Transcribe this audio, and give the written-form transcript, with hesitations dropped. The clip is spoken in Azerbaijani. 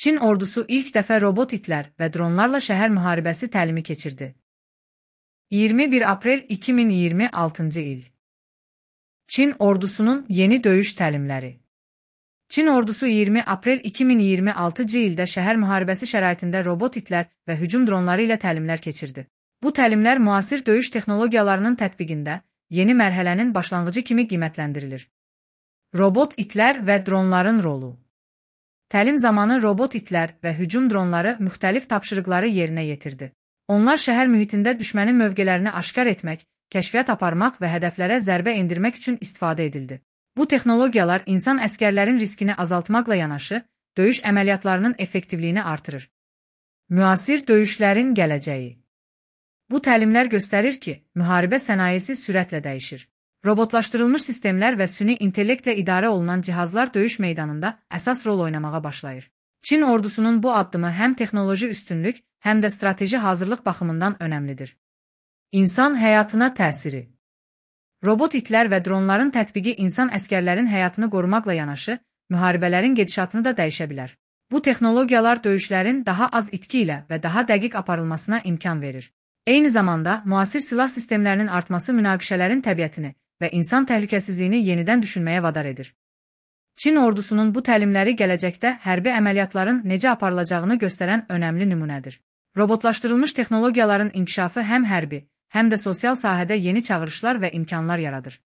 Çin ordusu ilk dəfə robot itlər və dronlarla şəhər müharibəsi təlimi keçirdi. 21 aprel 2026-cı il. Çin ordusunun yeni döyüş təlimləri. Çin ordusu 20 aprel 2026-cı ildə şəhər müharibəsi şəraitində robot itlər və hücum dronları ilə təlimlər keçirdi. Bu təlimlər müasir döyüş texnologiyalarının tətbiqində yeni mərhələnin başlanğıcı kimi qiymətləndirilir. Robot itlər və dronların rolu. Təlim zamanı robot itlər və hücum dronları müxtəlif tapşırıqları yerinə yetirdi. Onlar şəhər mühitində düşmənin mövqelərini aşkar etmək, kəşfiyyat aparmaq və hədəflərə zərbə endirmək üçün istifadə edildi. Bu texnologiyalar insan əskərlərin riskini azaltmaqla yanaşı, döyüş əməliyyatlarının effektivliyini artırır. Müasir döyüşlərin gələcəyi. Bu təlimlər göstərir ki, müharibə sənayesi sürətlə dəyişir. Robotlaşdırılmış sistemlər və süni intellektlə idarə olunan cihazlar döyüş meydanında əsas rol oynamağa başlayır. Çin ordusunun bu addımı həm texnoloji üstünlük, həm də strateji hazırlıq baxımından önəmlidir. İnsan həyatına təsiri. Robot itlər və dronların tətbiqi insan əskərlərin həyatını qorumaqla yanaşı, müharibələrin gedişatını da dəyişə bilər. Bu texnologiyalar döyüşlərin daha az itki ilə və daha dəqiq aparılmasına imkan verir. Eyni zamanda, müasir silah sistemlərinin artması münaqişələrin təbiətini və insan təhlükəsizliyini yenidən düşünməyə vadar edir. Çin ordusunun bu təlimləri gələcəkdə hərbi əməliyyatların necə aparılacağını göstərən önəmli nümunədir. Robotlaşdırılmış texnologiyaların inkişafı həm hərbi, həm də sosial sahədə yeni çağırışlar və imkanlar yaradır.